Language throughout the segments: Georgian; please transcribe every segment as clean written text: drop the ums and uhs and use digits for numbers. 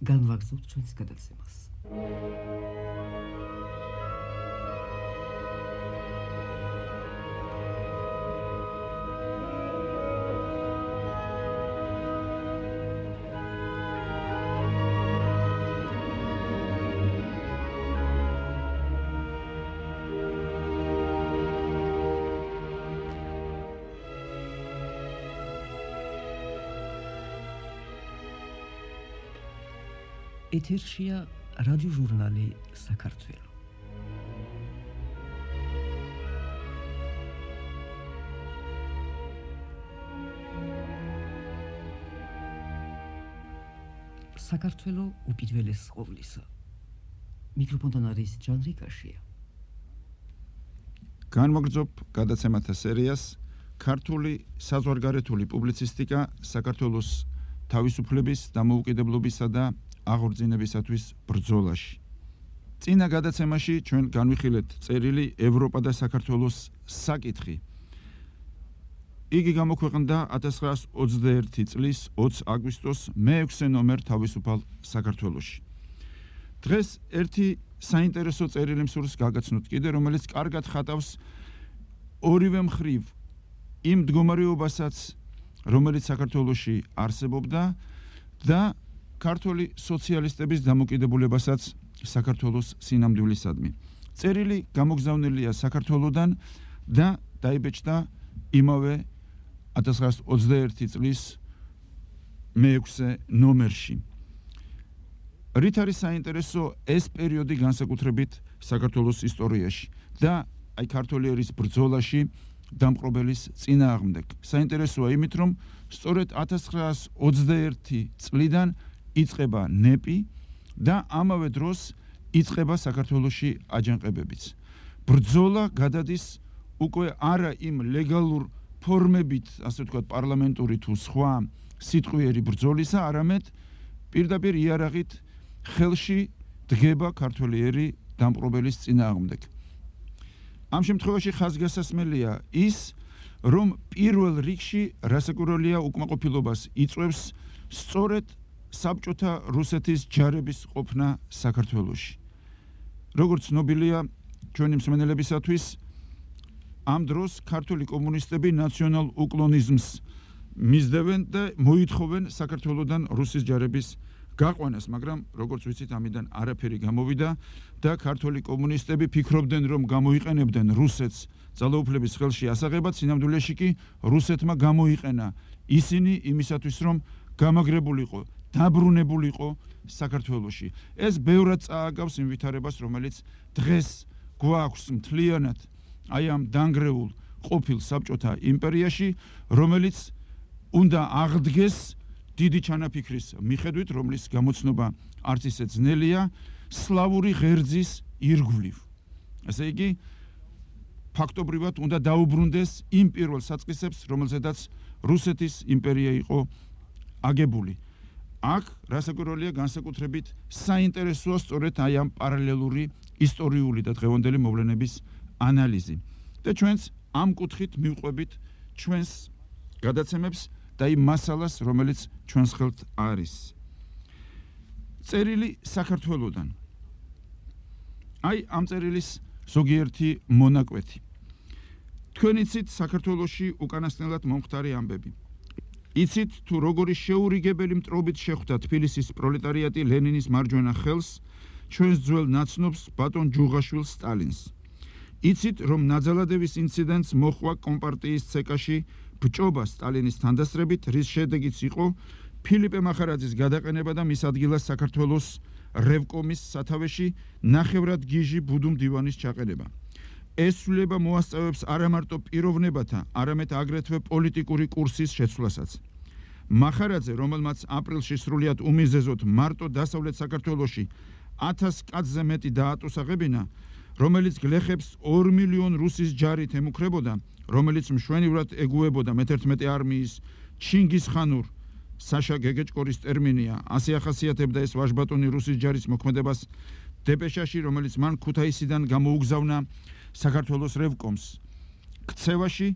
განვაგრძობთ ჩვენს გადაცემას. ეთერშია რადიო ჟურნალი საქართველო. საქართველო უპირველეს ყოვლისა. მიკროფონთან არის ჯანრი კაშია. განმოგრძობ გადაცემათა სერიას ქართული საზღვარგარეთული პუბლიცისტიკა საქართველოს თავისუფლების, დამოუკიდებლობისა და აღორძინებისათვის ბრძოლაში. წინა გადაცემაში ჩვენ განვიხილეთ წერილი ევროპა და საქართველოს საკითხი. იგი გამოქვეყნდა 1921 წლის 20 აგვისტოს მე-6 ნომერ თავისუფალ საქართველოში. დღეს ერთი საინტერესო წერილი მსურს გაგაცნოთ კიდე, რომელიც კარგად ხატავს ორივე მხრივ იმ მდგომარეობასაც, რომელიც საქართველოში არსებობდა და ქართული სოციალისტების დამოკიდებულებასაც საქართველოს სინამდვილისადმი. წერილი გამოგზავნილია საქართველოდან და დაიბეჭდა იმავე 1921 წლის მე-6 ნომერში. რით არის საინტერესო ეს პერიოდი განსაკუთრებით საქართველოს ისტორიაში და აი ქართული ერის ბრძოლაში დამპყრობელის წინააღმდეგ. საინტერესოა იმით, რომ სწორედ 1921 წლიდან იწყება ნეპი და ამავე დროს იწყება საქართველოში აჯანყებებიც. ბრძოლა გადადის უკვე არა იმ ლეგალურ ფორმებით, ასე ვთქვათ, პარლამენტური თუ სხვა სიტყვიერი ბრძოლისა, არამედ პირდაპირ იარაღით ხელში დგება ქართული ერი დამპყრობელის წინააღმდეგ. ამ შემთხვევაში ხაზგასასმელია ის, რომ პირველ რიგში რასაკვირველია უკმაყოფილებას იწვევს სწორედ საბჭოთა რუსეთის ჯარების ყოფნა საქართველოში. როგორც ცნობილია ჩვენი მსმენელებისათვის, ამ დროს ქართული კომუნისტები ნაციონალ უკლონიზმს მისდევენ და მოითხოვენ საქართველოდან რუსის ჯარების გაყვანას, მაგრამ როგორც ვიცით, ამიდან არაფერი გამოვიდა და ქართული კომუნისტები ფიქრობდნენ, რომ გამოიყენებდნენ რუსეთს ძალაუფლების ხელში ასაღებად, სინამდვილეში კი რუსეთმა გამოიყენა ისინი იმისათვის, რომ გამაგრებულიყო, დაბრუნებულიყო საქართველოში. ეს ბევრად წააგავს იმ ვითარებას, რომელიც დღეს გვაქვს მთლიანად აი ამ დანგრეულ ყოფილ საბჭოთა იმპერიაში, რომელიც უნდა აღდგეს დიდი ჩანაფიქრის მიხედვით, რომლის გამოცნობა არც ისე ძნელია, სლავური ღერძის ირგვლივ. ესე იგი, ფაქტობრივად უნდა დაუბრუნდეს იმ პირველ საწყისებს, რომელზედაც რუსეთის იმპერია იყო აგებული. აქ რასაკვირველია განსაკუთრებით საინტერესოა სწორედ აი ამ პარალელური ისტორიული და დღევანდელი მოვლენების ანალიზი. და ჩვენც ამ კუთხით მივყვებით ჩვენს გადაცემებს და იმ მასალას, რომელიც ჩვენს ხელთ არის. წერილი საქართველოდან. აი ამ წერილის ზოგიერთი მონაკვეთი. თქვენ იცით საქართველოში უკანასკნელად მომხდარი ამბები. იცით თუ როგორი შეურიგებელი მტრობით შეხვდა თბილისის პროლეტარიატი ლენინის მარჯვენა ხელს, ჩვენს ძველ ნაცნობს ბატონ ჯუღაშვილ სტალინს. იცით რომ ნაძალადების ინციდენტს მოხვა კომპარტიის ცეკაში ბჭობა სტალინის თანდასწრებით, რის შედეგიც იყო ფილიპე მახარაძის გადაყენება და მის ადგილას საქართველოს რევკომის სათავეში ნახევრად გიჟი ბუდუმ დივანის ჩაყენება. ეს ცვლილება მოასწავებს არა მარტო პიროვნებათა, არამედ აგრეთვე პოლიტიკური კურსის შეცვლასაც. მახარაძე, რომელმაც აპრილში სრულიად უმიზეზოდ მარტო დასავლეთ საქართველოში 1000 კაცზე მეტი დაატოსაღებინა, რომელიც გლეხებს 2 მილიონ რუსის ჯარით ემუქრებოდა, რომელიც მშვენივრად ეგუებოდა მე-11 არმიის ჩინგისხანურ საშა გეგეჭკორის ტერმინია, ასე ახასიათებდა ეს ვაჟბატონი რუსის ჯარის მოქმედებას დეპეშაში, რომელიც მან ქუთაისიდან გამოუგზავნა საქართველოს რევკომს. ქცევაში,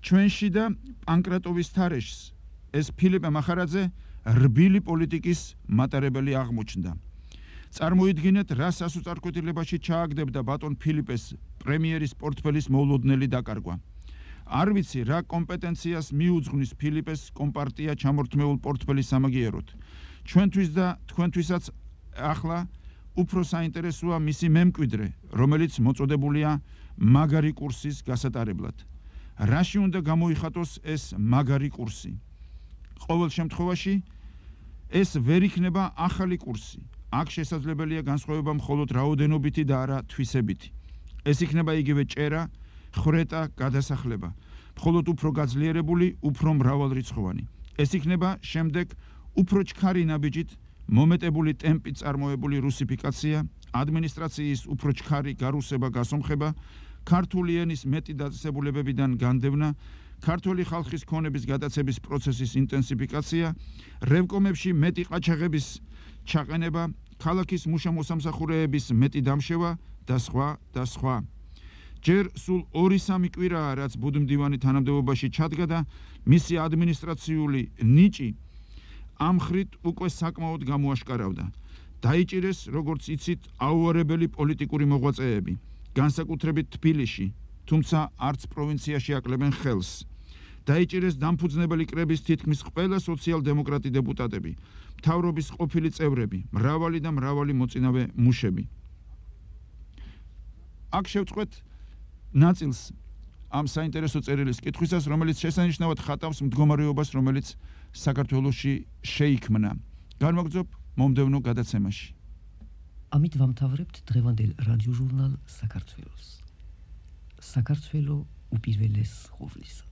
ჩვენში და პანკრატოვის თარეშს ეს ფილიპე მახარაძე რბილი პოლიტიკის მატარებელი აღმოჩნდა. წარმოიდგინეთ, რა სასუწარკვეთილებაში ჩააგდებდა ბატონ ფილიპეს პრემიერის პორტფელის მოულოდნელი დაკარგვა. არ ვიცი, რა კომპეტენციას მიუძღვნის ფილიპეს კომპარტია ჩამორთმეულ პორტფელის სამაგიეროდ. ჩვენთვის და თქვენთვისაც ახლა უფრო საინტერესოა მისი მემკვიდრე, რომელიც მოწოდებულია მაგარი კურსის გასატარებლად. რაში უნდა გამოიხატოს ეს მაგარი კურსი? ყოველ შემთხვევაში ეს ვერ იქნება ახალი კურსი. აქ შესაძლებელია განსხვავება მხოლოდ რაოდენობითი და არა თვისებითი. ეს იქნება იგივე ჭერა, ხრეტა, გადასახლება, მხოლოდ უფრო გაძლიერებული, უფრო მრავალრიცხოვანი. ეს იქნება შემდეგ უფრო ჩქარი ნაბიჯით მომეტებული ტემპით წარმოებული რუსიფიკაცია, ადმინისტრაციის უფრო ჩქარი გარუსება, გასომხება, ქართული ენის მეტი დაწესებულებებიდან განდევნა, ქართული ხალხის ქონების გადაცების პროცესის ინტენსიფიკაცია, რევკომებში მეტი ყაჩაღების ჩაყენება, ქალაქის მუშა-მოსამსახურეების მეტი დამშევა და სხვა და სხვა. ჯერ სულ 2-3 კვირაა, რაც ბუდმდივანი თანამდებობაში ჩადგა და მისი ადმინისტრაციული ნიჭი ამ ხრით უკვე საკმაოდ გამოაშკარავდა. დაიჭირეს, როგორც იცით, აუარებელი პოლიტიკური მოღვაწეები, განსაკუთრებით თბილისში, თუმცა არც პროვინციაში აკლებენ ხელს. დაიჭირეს დამფუძნებელი კრების თითქმის ყველა სოციალ-დემოკრატი დეპუტატები, მთავრობის ყოფილი წევრები, მრავალი და მრავალი მოწინავე მუშები. აქ შევწყვეთ ნაწილს ამ საინტერესო წერილის კითხვისას, რომელიც შესანიშნავად ხატავს მდგომარეობას, რომელიც საქართველოში შეიქმნა. განვაგრძობ მომდევნო გადაცემაში. ამით ვამთავრებთ დღევანდელ რადიოჟურნალ საქართველოს. საქართველო უპირველეს ყოვლისა.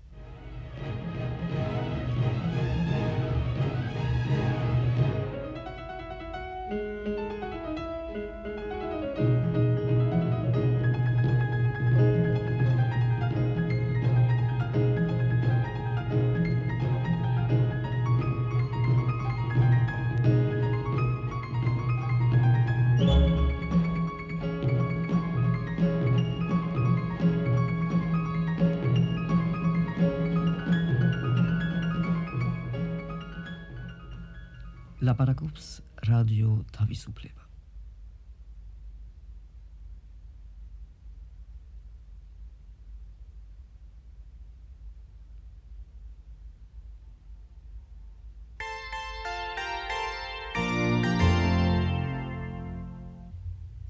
ლაპარაკობს რადიო თავისუფლება.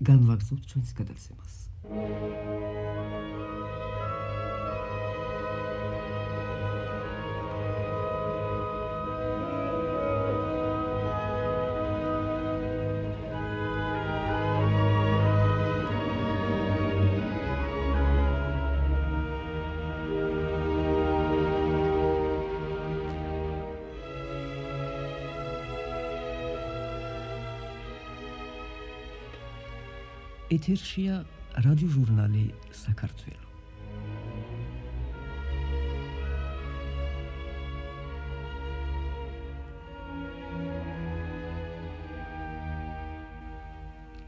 განვაგრძობთ ჩვენს გადაცემას. ეთერშია რადიოჟურნალი საქართველო.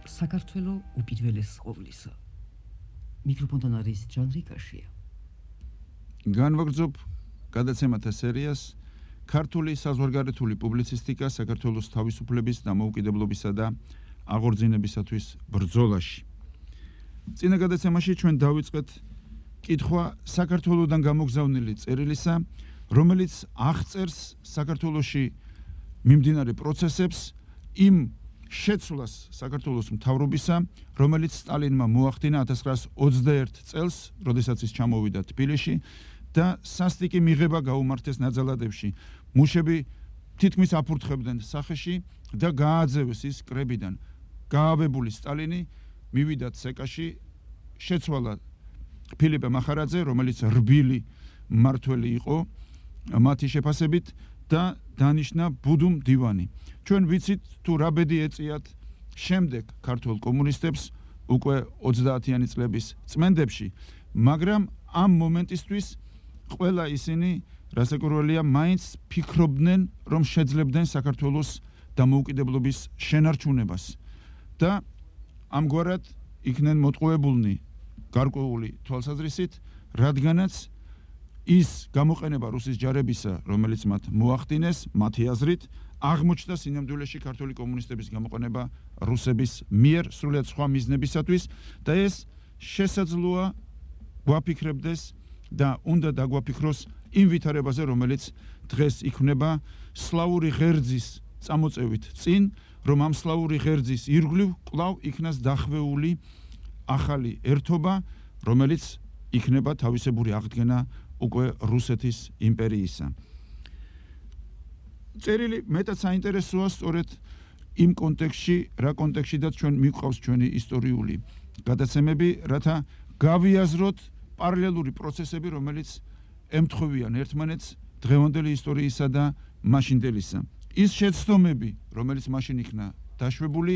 საქართველო უპირველეს ყოვლისა. მიკროფონთან არის ჯანრი კაშია. განვაგრძობ გადაცემათა სერიას ქართული საზღვარგარეთული პუბლიცისტიკა საქართველოს თავისუფლების და დამოუკიდებლობისა და აღორძინებისათვის ბრძოლაში. წინა გადაცემაში ჩვენ დავიწყეთ კითხვა საქართველოდან გამოგზავნილი წერილისა, რომელიც აღწერს საქართველოში მიმდინარე პროცესებს, იმ შეცვლას საქართველოს მთავრობისა, რომელიც სტალინმა მოახდინა 1921 წელს, როდესაც ის ჩამოვიდა თბილისში და სასტიკი მიღება გაუმართეს ნაძალადებში. მუშები თითქმის აფურთხებდნენ სახეში და გააძევეს ის კრებიდან. გაავებული სტალინი მივიდა ცეკაში, შეცვალა ფილიპე მახარაძე, რომელიც რბილი მმართველი იყო მათი შეფასებით და დანიშნა ბუდუმ დივანი. ჩვენ ვიცით თუ რა ბედი ეწიათ შემდეგ ქართულ კომუნისტებს უკვე 30-იანი წლების წმენდებში, მაგრამ ამ მომენტისთვის ყველა ისინი, რასაკვირველია, მაინც ფიქრობდნენ, რომ შეძლებდნენ საქართველოს დამოუკიდებლობის შენარჩუნებას. და ამგვარად იქნენ მოტყუებულნი გარკვეული თვალსაზრისით, რადგანაც ის გამოყენება რუსის ჯარებისა, რომელიც მათ მოახდინეს, მათი აზრით, აღმოჩნდა სინამდვილეში ქართული კომუნისტების გამოყენება რუსების მიერ სრულიად სხვა მიზნებისათვის და ეს შესაძლოა გვაფიქრებდეს და უნდა დაგვაფიქროს იმ ვითარებაზე, რომელიც დღეს იქმნება სლავური ღერძის წამოწევით წინ, რომ ამ სლავური ღერძის ირგვლივ კვლავ იქნას დახვეული ახალი ერთობა, რომელიც იქნება თავისებური აღდგენა უკვე რუსეთის იმპერიისა. წერილი მეტად საინტერესოა სწორედ იმ კონტექსტში, რა კონტექსტშიდაც ჩვენ მიყვავს ჩვენი ისტორიული გადაცემები, რათა გავიაზროთ პარალელური პროცესები, რომელიც ემთხვევიან ერთმანეთს დღევანდელი ისტორიისა და მაშინდელისა. ის შეცდომები, რომელიც მაშინ იქნა დაშვებული,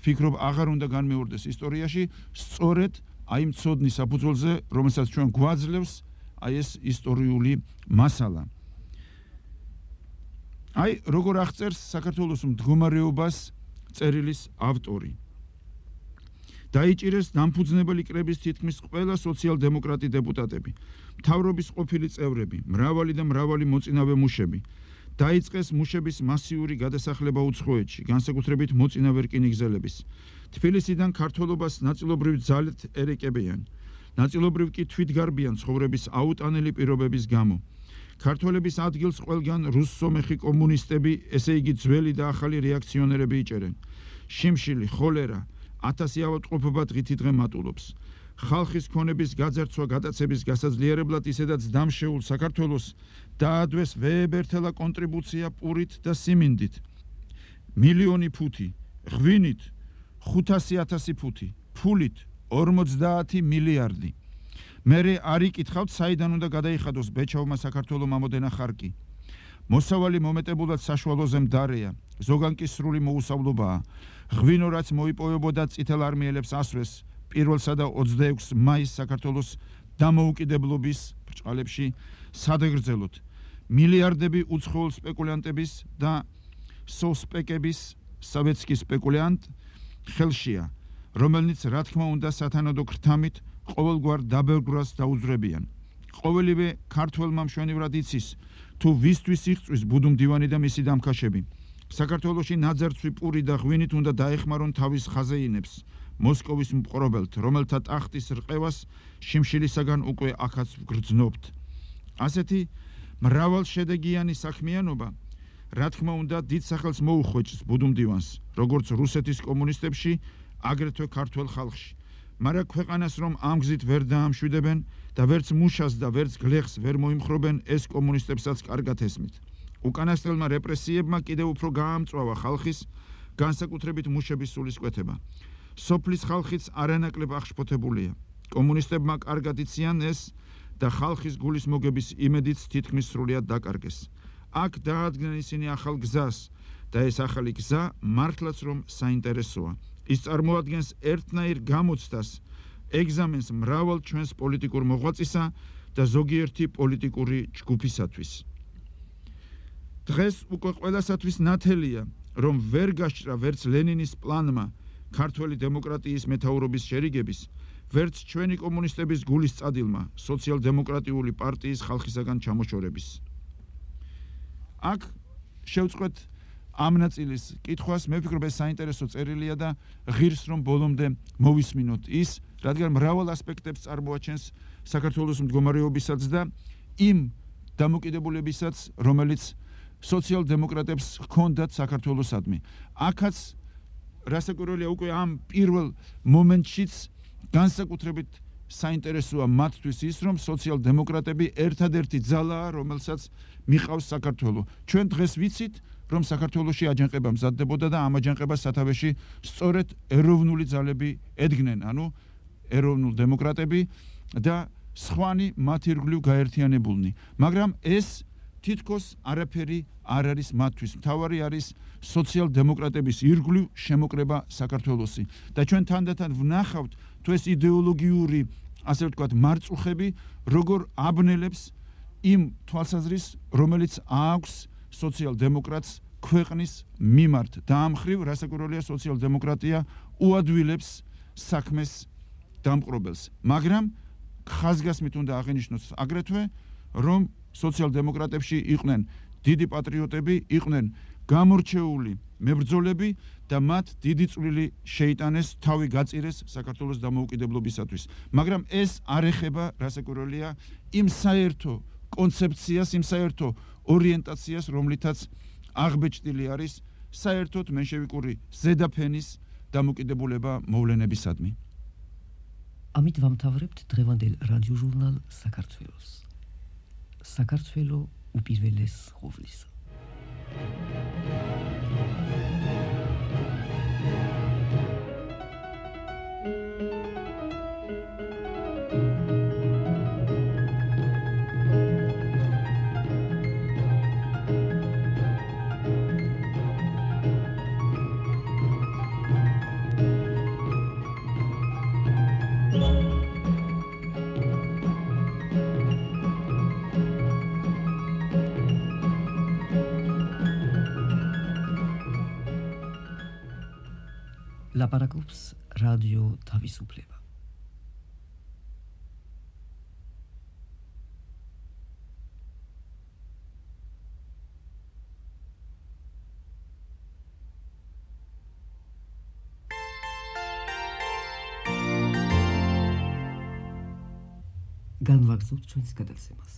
ფიქრობ აღარ უნდა განმეორდეს ისტორიაში, სწორედ აი იმ ცოდნის საფუძველზე, რომელსაც ჩვენ გვაძლევს აი ეს ისტორიული მასალა. აი როგორ აღწერს საქართველოს მდგომარეობას წერილის ავტორი. დაიჭირეს დამფუძნებელი კრების თითქმის ყველა სოციალ-დემოკრატი დეპუტატები, მთავრობის ყოფილი წევრები, მრავალი მოწინავე მუშები. დაიწყეს მუშების მასიური გადასახლება უცხოეთში, განსაკუთრებით მოწინავე რკინიგზელების. თბილისიდან ქართველობას ნაწილობრივ ძალით ერეკებიან, ნაწილობრივ კი თვითგარბიან ცხოვრების აუტანელი პირობების გამო. ქართველების ადგილს ყველგან რუსსომეხი კომუნისტები, ესე იგი ძველი და ახალი რეაქციონერები იჭერენ. შიმშილი, ხოლერა, 1000 ავადმყოფობა დღითი დღე მატულობს. ხალხის ქონების გაძარცვა გადაცების გასაძლიერებლად ისედაც დამშეულ საქართველოს დაადვეს ვეებერთელა კონტრიბუცია პურით და სიმინდით. მილიონი ფუთი, ღვინით 500,000 ფუთი, ფულით 50 მილიარდი. მერე არ იკითხავთ, საიდან უნდა გადაიხადოს ბეჩავმა საქართველომ ამოდენა ხარკი. მოსავალი მომეტებულად საშუალოზე მდარეა, ზოგან კი სრული მოუსავლობაა. ღვინო რაც მოიპოვებოდა წითელ არმიელებს ასვეს 1 და 26 მაისს საქართველოს დამოუკიდებლობის ბრჭყალებში სადღერძელოთ. მილიარდები უცხოელ სპეკულანტების და სოსპეკების სავეცკის სპეკულანტ ხელშია, რომელნიც რა თქმა უნდა სათანადო ქრთამით ყოველგვარ დაბევრებას დაუძვრებიან. ყოველივე ქართველმა მშვენივრად იცის, თუ ვისთვის იღწვის ბუდუ მდივანი და მისი დამქაშები. საქართველოში ნაძერცვი პური და ღვინით უნდა დაეხმარონ თავის ხაზეინებს, მოსკოვის მპყრობელთ, რომელთა ტახტის რყევას შიმშილისაგან უკვე აქაც ვგრძნობთ. ასეთი მრავალშედეგიანი საქმიანობა, რა თქმა უნდა, დიდ სახელს მოუხვეჭს ბუდუ მდივანს, როგორც რუსეთის კომუნისტებში, აგრეთვე ქართველ ხალხში. მაგრამ ქვეყანას რომ ამ გზით ვერ დაამშვიდებენ და ვერც მუშას და ვერც გლეხს ვერ მოიმხრობენ, ეს კომუნისტებსაც კარგად ესმით. უკანასკნელმა რეპრესიებმა კიდევ უფრო გაამწვავა ხალხის, განსაკუთრებით მუშების სულისკვეთება. სოფლის ხალხიც არანაკლებ აღშფოთებულია. კომუნისტებმა კარგად იციან ეს და ხალხის გულის მოგების იმედიც თითქმის სრულიად დაკარგეს. აქ დაადგნენ ისინი ახალ გზას და ეს ახალი გზა მართლაც რომ საინტერესოა. ის წარმოადგენს ერთნაირ გამოცდას, ეგზამენს მრავალ ჩვენს პოლიტიკურ მოღვაწისა და ზოგიერთი პოლიტიკური ჯგუფისათვის. დღეს უკვე ყველასათვის ნათელია, რომ ვერ გასჭრა ვერც ლენინის პლანმა ქართველი დემოკრატიის მეთაურობის შერიგების, ვერც ჩვენი კომუნისტების გულის წადილმა სოციალ-დემოკრატიული პარტიის ხალხისაგან ჩამოშორების. აქ შევწყვეთ ამ ნაწილის კითხვას, მე ვფიქრობ ეს საინტერესო წერილია და ღირს რომ ბოლომდე მოვისმინოთ ის, რადგან მრავალ ასპექტებს წარმოაჩენს საქართველოს მდგომარეობისაც და იმ დამოკიდებულებისაც, რომელიც სოციალ-დემოკრატებს ჰქონდათ საქართველოსადმი. აქაც რასაკვირველია უკვე ამ პირველ მომენტშიც განსაკუთრებით საინტერესოა მათთვის ის, რომ სოციალ-დემოკრატები ერთადერთი ძალაა, რომელსაც მიყავს საქართველო. ჩვენ დღეს ვიცით, რომ საქართველოში აჯანყება მზადდებოდა და ამ აჯანყებას სათავეში სწორედ ეროვნული ძალები ედგნენ, ანუ ეროვნულ დემოკრატები და სხვანი მათ ირგვლივ გაერთიანებულნი. მაგრამ ეს თითქოს არაფერი არ არის მათთვის. მთავარი არის სოციალ-დემოკრატების ირგვლივ შემოკრება საქართველოსი. და ჩვენ თანდათან ვნახავთ, თუ ეს იდეოლოგიური, ასე ვთქვათ, მარწუხები როგორ აბნელებს იმ თვალსაზრისს, რომელიც აქვს სოციალ-დემოკრატს ქვეყნის მიმართ. და ამ მხრივ რასაკვირველია სოციალ-დემოკრატია უადვილებს საქმეს დამპყრობელს. მაგრამ ხაზგასმით უნდა აღინიშნოს აგრეთვე, რომ სოციალ-დემოკრატებში იყვნენ დიდი პატრიოტები, იყვნენ გამორჩეული მებრძოლები და მათ დიდი წვლილი შეიტანეს, თავი გაწირეს საქართველოს დამოუკიდებლობისათვის. მაგრამ ეს არ ეხება, რასაკვირველია, იმ საერთო კონცეფციას, იმ საერთო ორიენტაციას, რომლითაც აღბეჭდილი არის საერთოდ მენშევიკური ზედაფენის დამოკიდებულება მოვლენებისადმი. ამით ვამთავრებთ დღევანდელ რადიოჟურნალ საქართველოს. საქართველო უპირველეს ყოვლისა. ლაპარაკობს რადიო თავისუფლება. განვაგრძობთ ჩვენს გადაცემას.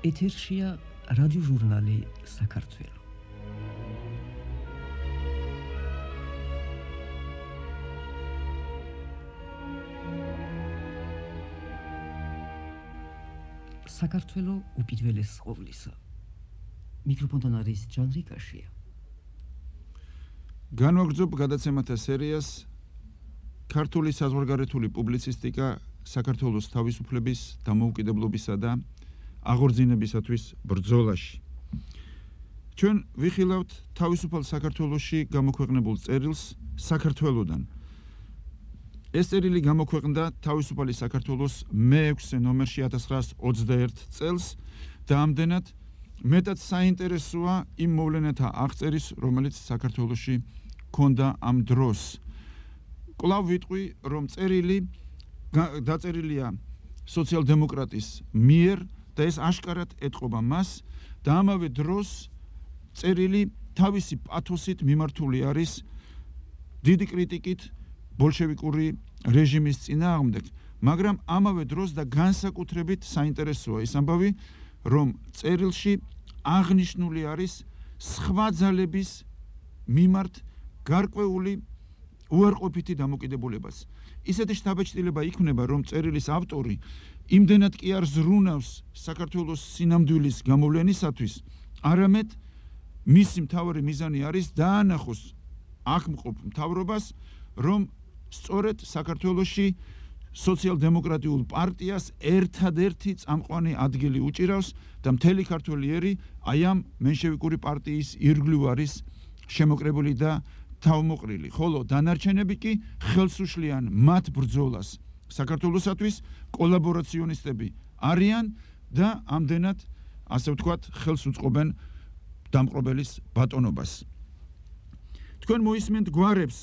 ეთერშია რადიოჟურნალი საქართველო. საქართველო უპირველეს ყოვლისა. მიკროფონთან არის ჯანრი კაშია. განვაგრძობ გადაცემათა სერიას ქართული საზღვარგარეთული პუბლიცისტიკა საქართველოს თავისუფლების, დამოუკიდებლობისა და აღორძინებისათვის ბრძოლაში. ჩვენ ვიხილავთ თავისუფალ საქართველოში გამოქვეყნებულ წერილს საქართველოდან. ეს წერილი გამოქვეყნდა თავისუფალი საქართველოს მე-6 ნომერში 1921 წელს და ამდენად მეტად საინტერესოა იმ მოვლენათა აღწერის, რომელიც საქართველოში ჰქონდა ამ დროს. კვლავ ვიტყვი, რომ წერილი დაწერილია სოციალ-დემოკრატის მიერ და ეს აშკარად ეტყობა მას და ამავე დროს წერილი თავისი პათოსით მიმართული არის დიდი კრიტიკით ბოლშევიკური რეჟიმის წინააღმდეგ, მაგრამ ამავე დროს და განსაკუთრებით საინტერესოა ის ამბავი, რომ წერილში აღნიშნული არის სხვა ძალების მიმართ გარკვეული უარყოფითი დამოკიდებულებას. ისეთი შთაბეჭდილება იქნება, რომ წერილის ავტორი იმდენად კი არ ზრუნავს საქართველოს სინამდვილის გამოვლენისათვის, არამედ მისი მთავარი მიზანი არის დაანახოს აკმყოფ მთავრობას, რომ სწორედ საქართველოში სოციალ-დემოკრატიულ პარტიას ერთადერთი წამყვანი ადგილი უჭირავს და მთელი ქართველი ერი აი ამ მენშევიკური პარტიის ირგვლივ არის შემოკრებული და თავმოყრილი, ხოლო დანარჩენები კი ხელს უშლიან მათ ბრძოლას საქართველოსათვის, კოლაბორაციონისტები არიან და ამდენად, ასე ვთქვათ, ხელს უწყობენ დამპყრობელის ბატონობას. თქვენ მოისმენთ გვარებს,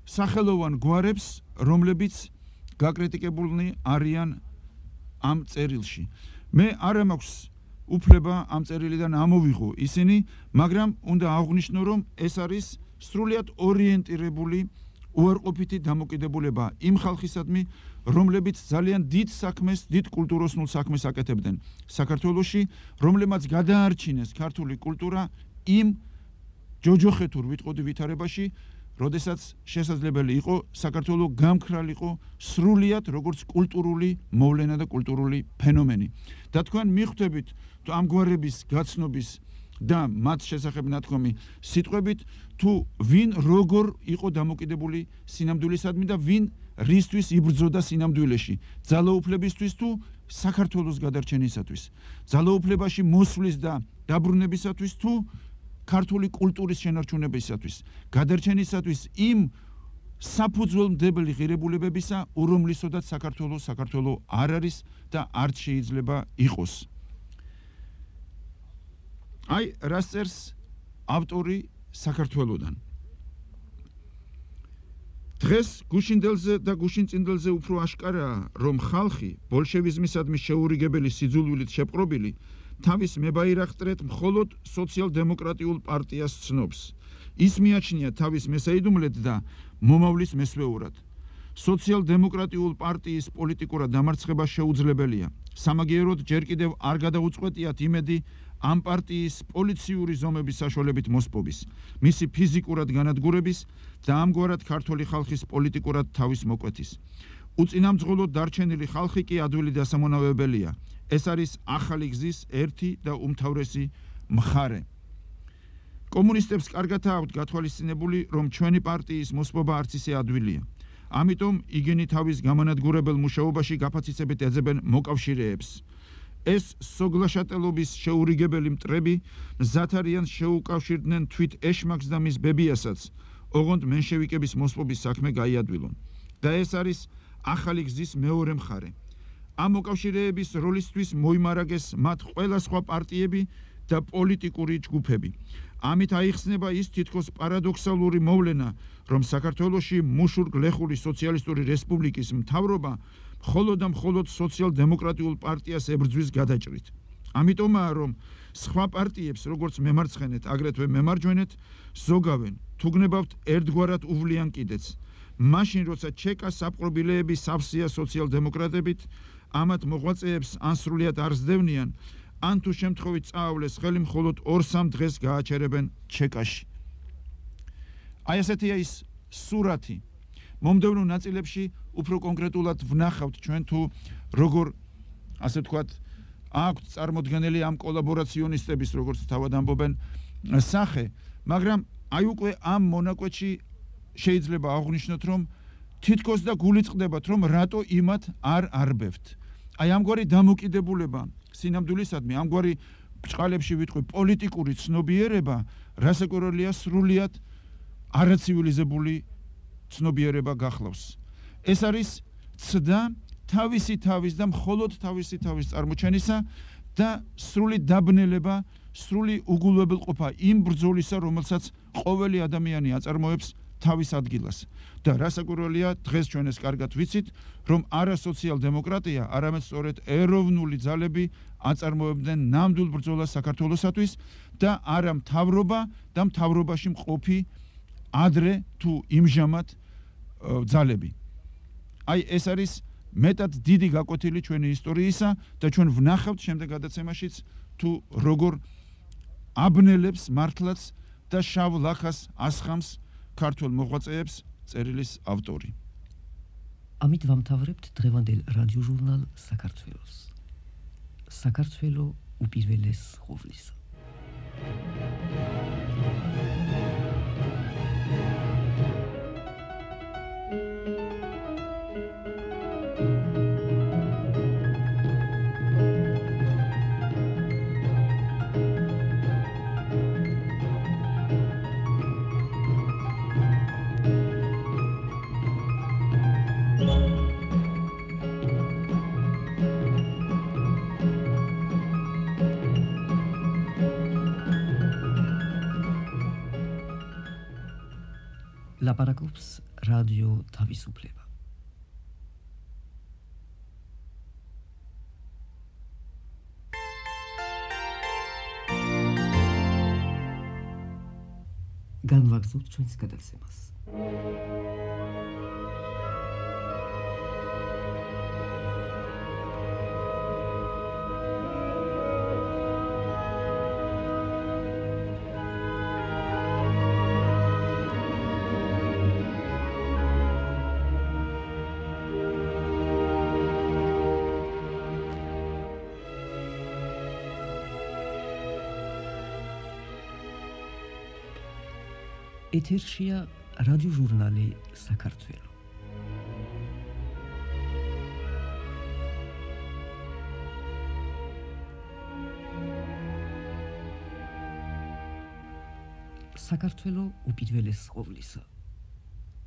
სახელოვან გვარებს, რომლებიც გაკრიტიკებულნი არიან ამ წერილში. მე არ მაქვს უფლება ამ წერილიდან ამოვიღო ისინი, მაგრამ უნდა აღვნიშნო, რომ ეს არის სრულიად ორიენტირებული უარყოფითი დამოკიდებულება იმ ხალხისადმი, რომლებიც ძალიან დიდ საქმეს, დიდ კულტუროსნულ საქმეს აკეთებდნენ საქართველოში, რომლებმაც გადაარჩინეს ქართული კულტურა იმ ჯოჯოხეთურ ვიტყოდი ვითარებაში, როდესაც შესაძლებელი იყო საქართველო გამქრალიყო სრულიად როგორც კულტურული მოვლენა და კულტურული ფენომენი. და თქვენ მიხვდებით ამ გვარების გაცნობის და მათ შესახებ ნათქვამი სიტყვებით, თუ ვინ როგორ იყო დამოკიდებული სინამდვილისადმი და ვინ რისთვის იბრძოდა სინამდვილეში, ძალაუფლებისთვის თუ საქართველოს გადარჩენისათვის, ძალაუფლებაში მოსვლის და დაბრუნებისათვის თუ ქართული კულტურის შენარჩუნებისათვის, გადარჩენისათვის იმ საფუძველმდებელი ღირებულებებისა, რომლისოდაც საქართველო არ არის და არც შეიძლება იყოს. აი, რას წერს ავტორი საქართველოდან. დღეს გუშინდელზე და გუშინწინდელზე უფრო აშკარაა, რომ ხალხი ბოლშევიზმისადმი შეურიგებელი სიძულვილით შეპყრობილი თავის მებაირახტრეთ მხოლოდ სოციალ-დემოკრატიულ პარტიას ცნობს. ის მიაჩნია თავის მესაიდუმლეთ და მომავლის მესვეურად. სოციალ-დემოკრატიულ პარტიის პოლიტიკურად დამარცხება შეუძლებელია. სამაგიეროდ ჯერ კიდევ არ გადაუწყვეტიათ იმედი ამ პარტიის პოლიციური ზომების საშუალებით მოსპობის, მისი ფიზიკურად განადგურების და ამგვარად ქართული ხალხის პოლიტიკურად თავის მოკვეთის. უწინამძღოლოდ დარჩენილი ხალხი კი ადვილი დასამონავებელია. ეს არის ახალი გზის ერთი და უმთავრესი მხარე. კომუნისტებს კარგად აქვთ გათვალისწინებული, რომ ჩვენი პარტიის მოსპობა არც ისე ადვილია. ამიტომ იგენი თავის გამანადგურებელ მუშაობაში გაფაციცებით ეძებენ მოკავშირეებს. ეს სოგლაშატელობის შეურიგებელი მტრები მზად არიან შეუკავშირდნენ თვით ეშმაკს და მის ბებიასაც, ოღონდ მენშევიკების მოსპობის საქმე გაიადვილონ. და ეს არის ახალი გზის მეორე მხარე. ამ მოკავშირეების როლისთვის მოიმარაგეს მათ ყველა სხვა პარტიები და პოლიტიკური ჯგუფები. ამით აიხსნება ის თითქოს პარადოქსალური მოვლენა, რომ საქართველოში მუშურ-გლეხური სოციალისტური რესპუბლიკის მთავრობა მხოლოდ და მხოლოდ სოციალ-დემოკრატიულ პარტიას ებრძვის გადაჭრით. ამიტომაა, რომ სხვა პარტიებს, როგორც მემარცხენეთ, აგრეთვე მემარჯვენეთ, ზოგავენ, თუ გნებავთ ერთგვარად უვლიან კიდეც. მაშინ, როცა ჩეკა საპყრობილეები სავსეა სოციალ-დემოკრატებით, ამათ მოღვაწეებს ან სრულიად არ სდევნიან, ან თუ შემთხვევით წაავლეს ხელი მხოლოდ 2-3 დღეს გააჩერებენ ჩეკაში. აი ასეთია ის სურათი. მომდევნო ნაწილებში უფრო კონკრეტულად ვნახავთ ჩვენ თუ როგორ, ასე ვთქვათ, აქვთ წარმოდგენილი ამ კოლაბორაციონისტების, როგორც თავად ამბობენ, სახე, მაგრამ აი უკვე ამ მონაკვეთში შეიძლება აღვნიშნოთ, რომ თითქოს და გული წყდებათ, რომ რატო იმათ არ არბევთ. აი ამგვარი დამოკიდებულება სინამდვილისადმი, ამგვარი ბრჭყალებში ვიტყვი პოლიტიკური ცნობიერება, რასაკვირველია სრულიად არაცივილიზებული ცნობიერება გახლავს. ეს არის ცდა თავისი თავის და მხოლოდ თავისი თავის წარმოჩენისა და სრული დაბნელება, სრული უგულებელყოფა იმ ბრძოლისა, რომელსაც ყოველი ადამიანი აწარმოებს თავის ადგილას. და რასაკვირველია, დღეს ჩვენ ეს კარგად ვიცით, რომ არა სოციალ-დემოკრატია, არამედ სწორედ ეროვნული ძალები აწარმოებდნენ ნამდვილ ბრძოლას საქართველოსათვის და არა მთავრობა და მთავრობაში მყოფი ადრე თუ იმჟამად ძალები. აი ეს არის მეტად დიდი გაკვეთილი ჩვენი ისტორიისა და ჩვენ ვნახავთ შემდეგ გადაცემაშიც თუ როგორ აბნელებს მართლაც და შავ ლახას ასხამს ქართულ მოღვაწეებს წერილის ავტორი. ამით ვამთავრებთ დღევანდელ რადიოჟურნალ საქართველოს. საქართველო უპირველეს ყოვლისა. ლაპარაკობს რადიო თავისუფლება. განვაგრძობთ ჩვენს გადაცემას. ეთერშია რადიოჟურნალი საქართველო. საქართველო უპირველეს ყოვლისა.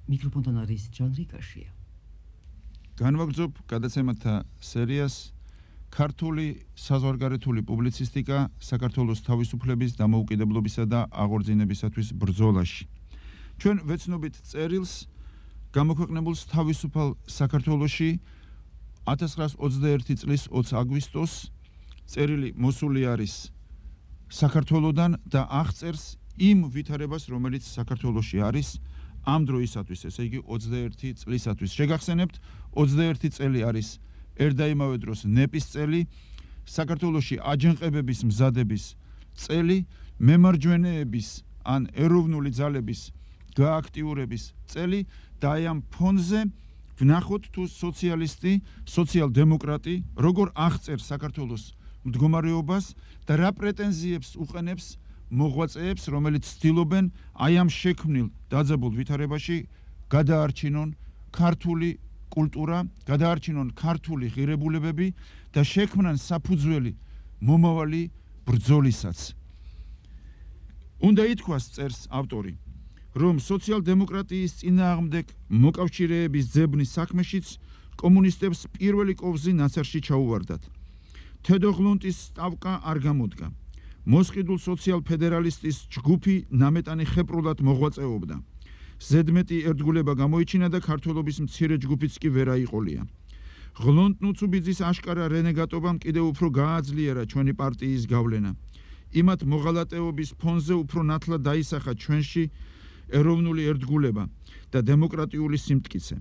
მიკროფონთან არის ჯანრი კაშია. განვაგრძობ გადაცემათა სერიას ქართული საზღვარგარეთული პუბლიცისტიკა საქართველოს თავისუფლების, დამოუკიდებლობისა და აღორძინებისათვის ბრძოლაში. ჩვენ ვეცნობით წერილს გამოქვეყნებულს თავისუფალ საქართველოში 1921 წლის 20 აგვისტოს წერილი მოსული არის საქართველოდან და აღწერს იმ ვითარებას, რომელიც საქართველოში არის ამ დროისათვის, ესე იგი 21 წლისათვის. შეგახსენებთ, 21 წელი არის ერდაიმავე დროს ნეპის წელი, საქართველოში აჯანყებების მზადების წელი, მემარჯვენეების ან ეროვნული ძალების გააქტიურების წელი და აი ამ ფონზე ვნახოთ თუ სოციალისტი, სოციალ-დემოკრატი როგორ აღწერს საქართველოს მდგომარეობას და რა პრეტენზიებს უყენებს მოღვაწეებს, რომელიც ცდილობენ აი ამ შექმნილ დაძაბულ ვითარებაში გადაარჩინონ ქართული კულტურა, გადაარჩინონ ქართული ღირებულებები და შექმნან საფუძველი მომავალი ბრძოლისაც. უნდა ითქვას, წერს ავტორი, რომ სოციალ-დემოკრატიის წინააღმდეგ მოკავშირეების ძებნის საქმეშიც კომუნისტებს პირველი კოვზი ნაცარში ჩაუვარდათ. თედოღლუნტის სტავკა არ გამოდგა. მოსყიდულ სოციალ-ფედერალისტის ჯგუფი ნამეტანი ხეპრულად მოღვაწეობდა. ზედმეტი ერთგულება გამოიჩინა და ქართველობის მცირე ჯგუფიც კი ვერ აიყოლია. ღლონტ ნუცუბიძის აშკარა რენეგატობამ კიდევ უფრო გააძლიერა ჩვენი პარტიის გავლენა. იმათ მოღალატეობის ფონზე უფრო ნათლად დაისახა ჩვენში ეროვნული ერთგულება და დემოკრატიული სიმტკიცე.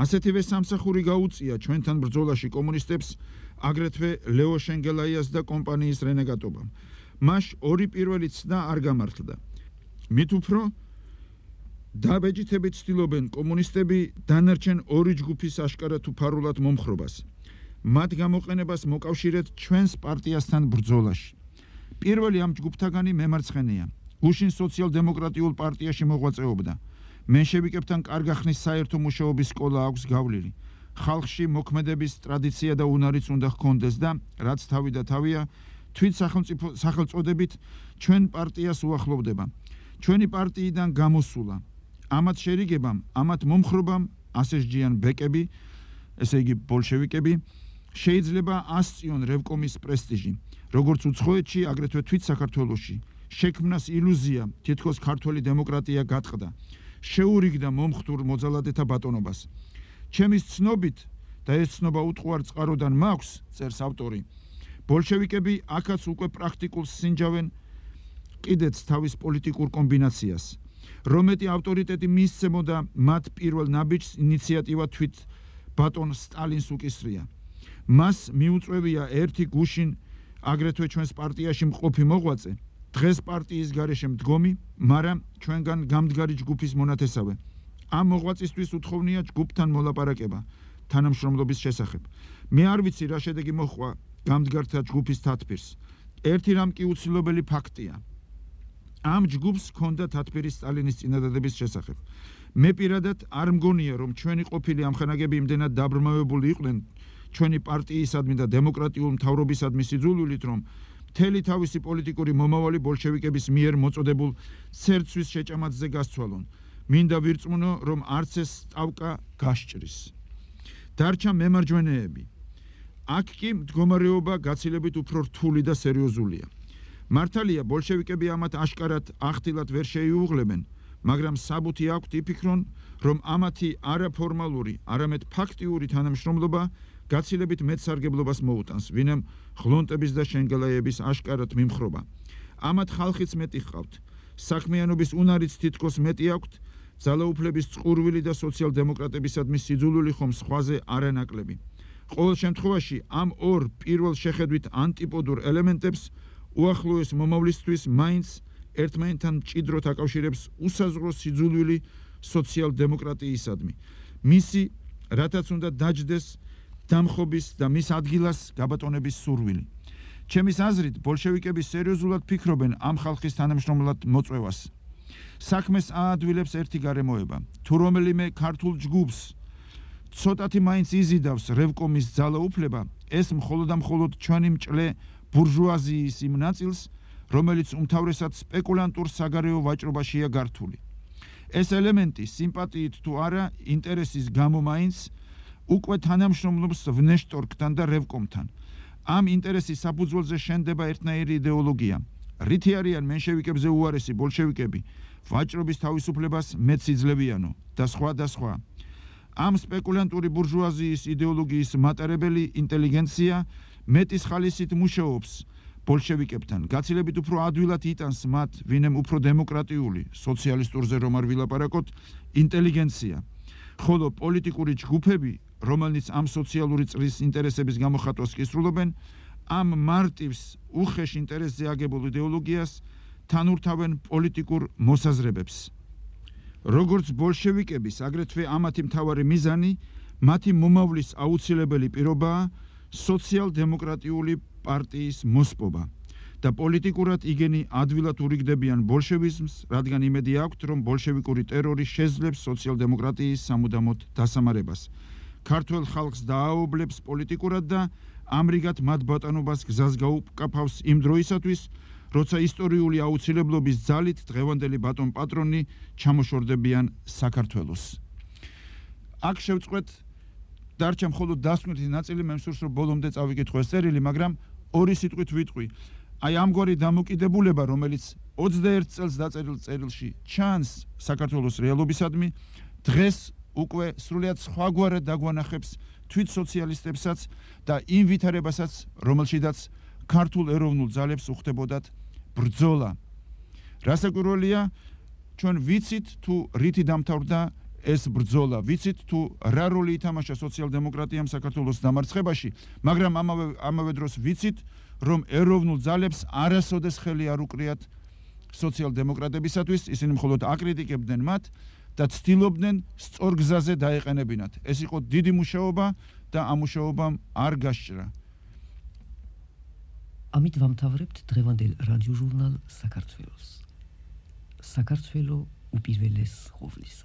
ასეთივე სამსახური გაუწია ჩვენთან ბრძოლაში კომუნისტებს აგრეთვე ლეო შენგელაიას და კომპანიის რენეგატობამ. მას ორი პირველი ცდა არ გამართლდა. მით უფრო დაბეჭდებით ცდილობენ კომუნისტები დანარჩენ ორი ჯგუფის აშკარად უფარულად მომხრობას. მათ გამოყენებას მოკავშირეთ ჩვენს პარტიასთან ბრძოლაში. პირველი ამ ჯგუფთაგანი მემარცხენეა. გუშინ სოციალ-დემოკრატიულ პარტიაში მოღვაწეობდა. მენშევიკებთან კარგახნის საერთო მუშაობის სკოლა აქვს გავლილი. ხალხში მოქმედების ტრადიცია და უნარიც უნდა ჰქონდეს და რაც თავი და თავია თვით სახელწოდებით ჩვენ პარტიას უახლოვდება. ჩვენი პარტიიდან გამოსულა ამათ შერიგებამ, ამათ მომხრობამ ასეჯიან ბეკები, ესე იგი ბოლშევიკები, შეიძლება ასწიონ რევკომის პრესტიჟი, როგორც უცხოეთში, აგრეთვე თვით საქართველოში. შექმნას ილუზია, თითქოს ქართული დემოკრატია გატყდა, შეურიგდა მომხდურ მოძალადეთა ბატონობას. ჩემის ცნობით და ეს ცნობა უტყუარ წყაროდან მაქვს, წერს ავტორი, ბოლშევიკები აქაც უკვე პრაქტიკულს სინჯავენ კიდეც თავის პოლიტიკურ კომბინაციას. რომეტი ავტორიტეტი მისცემოდა მათ პირველ ნაბიჯს, ინიციატივა თვით ბატონ სტალინს უკისრია. მას მიუწვევია ერთი გუშინ აგრეთვე ჩვენს პარტიაში მყოფი მოღვაწე, დღეს პარტიის გარეშე მდგომი, მაგრამ ჩვენგან გამდგარი ჯგუფის მონათესავე. ამ მოღვაწისთვის უთხოვნია ჯგუფთან მოლაპარაკება თანამშრომლობის შესახებ. მე არ ვიცი რა შედეგი მოჰყვა გამდგართა ჯგუფის თათბირს. ერთი რამ კი უცილობელი ფაქტია. ამ ჯგუფს ჰქონდა თათბირი სტალინის წინადადების შესახებ. მე პირადად არ მგონია, რომ ჩვენი ყოფილი ამხანაგები იმდენად დაბრმავებული იყვნენ ჩვენი პარტიისადმი და დემოკრატიულ მთავრობისადმი სიძულვილით, რომ მთელი თავისი პოლიტიკური მომავალი ბოლშევიკების მიერ მოწოდებულ ცერცვის შეჭამածზე გასცვალონ. მინდა ვირწმუნო, რომ არც ეს სტავკა გასჭრის. დარჩა მემარჯვენეები. აქ კი მდგომარეობა გაცილებით უფრო რთული და სერიოზულია. მართალია, ბოლშევიკები ამათ აშკარად ახდილად ვერ შეიუღლებენ, მაგრამ საბუთი აქვთ იფიქრონ, რომ ამათი არაფორმალური, არამედ ფაქტიური თანამშრომლობა გაცილებით მეტ სარგებლობას მოუტანს, ვინემ ღლონტების და შენგელაიების აშკარად მიმხრობა. ამათ ხალხიც მეტი ჰყავთ. საქმიანობის უნარიც თითქოს მეტი აქვთ, ძალაუფლების წყურვილი და სოციალ-დემოკრატებისადმი სიძულვილი ხომ სხვაზე არანაკლები. ყოველ შემთხვევაში ამ ორ პირველ შეხედვით ანტიპოდურ ელემენტებს უახლოეს მომავლისთვის მაინც ერთმანეთთან მჭიდროდ აკავშირებს უსაზღვრო სიძულვილი სოციალ-დემოკრატიისადმი. მისი, რათაც უნდა დაჯდეს დამხობის და მის ადგილას გაბატონების სურვილი. ჩემის აზრით, ბოლშევიკები სერიოზულად ფიქრობენ ამ ხალხის თანამშრომლად მოწვევას. საქმეს აადვილებს ერთი გარემოება. თუ რომელიმე ქართულ ჯგუფს ცოტათი მაინც იზიდავს რევკომის ძალაუფლება, ეს მხოლოდ და მხოლოდ ჩვენი მჭლე ბურჟუაზიის იმ ნაწილს, რომელიც უმთავრესად სპეკულანტურ საგარეო ვაჭრობაშია გართული. ეს ელემენტი სიმპათიით თუ არა ინტერესის გამო მაინც უკვე თანამშრომლობს ვნეშტორკთან და რევკომთან. ამ ინტერესის საფუძველზე შენდება ერთნაირი იდეოლოგია. რითი არიან მენშევიკებზე უარესი ბოლშევიკები, ვაჭრობის თავისუფლებას მეც იძლევიანო და სხვა და სხვა. ამ სპეკულანტური ბურჟუაზიის იდეოლოგიის მატარებელი ინტელიგენცია მეტის ხალისით მუშაობს ბოლშევიკებთან. გაცილებით უფრო ადვილად იტანს მათ, ვინმე უფრო დემოკრატიული, სოციალისტურზე რომ არ ვილაპარაკოთ, ინტელიგენცია. ხოლო პოლიტიკური ჯგუფები, რომელნიც ამ სოციალური წრის ინტერესების გამოხატვას კისრულობენ, ამ მარტივს უხეშ ინტერესზე აგებულ იდეოლოგიას თანურთავენ პოლიტიკურ მოსაზრებებს. როგორც ბოლშევიკების, აგრეთვე ამათი მთავარი მიზანი, მათი მომავლის აუცილებელი პირობაა სოციალ-დემოკრატიული პარტიის მოსპობა და პოლიტიკურად იგენი ადვილად ურიგდებიან ბოლშევიზმს, რადგან იმედი აქვთ, რომ ბოლშევიკური ტერორი შეძლებს სოციალ-დემოკრატიის სამუდამოდ დასამარებას. ქართველ ხალხს დააოვლებს პოლიტიკურად და ამრიგად მათ ბატონობას გზას გაუკაფავს იმ დროისათვის, როცა ისტორიული აუცილებლობის ძალით დღევანდელი ბატონ პატრონი ჩამოშორდებიან საქართველოს. აქ შევწყვეთ დარჩა მხოლოდ დასკვნითი ნაწილი, მე მსურს რომ ბოლომდე წავიკითხო ეს წერილი, მაგრამ ორი სიტყვით ვიტყვი. აი ამგვარი დამოკიდებულება, რომელიც 21 წელს დაწერილ წერილში ჩანს საქართველოს რეალობისადმი, დღეს უკვე სრულიად სხვაგვარად დაგვანახებს თვით სოციალისტებსაც და იმ ვითარებასაც, რომელშიდაც ქართულ ეროვნულ ძალებს უხდებოდათ ბრძოლა. რასაკვირველია, ჩვენ ვიცით თუ რითი დამთავრდა ეს ბრძოლა, ვიცით თუ რა როლი ითამაშა სოციალ-დემოკრატიამ საქართველოს დამარცხებაში, მაგრამ ამავე დროს ვიცით, რომ ეროვნულ ძალებს არასოდეს ხელი არ უკრიათ სოციალ-დემოკრატებისათვის, ისინი მხოლოდ აკრიტიკებდნენ მათ და ცდილობდნენ სწორ გზაზე დაეყენებინათ. ეს იყო დიდი მუშაობა და ამ მუშაობამ არ გასჭრა. ამით ვამთავრებთ დღევანდელ რადიოჟურნალ საქართველოს. საქართველო უპირველეს ყოვლისა.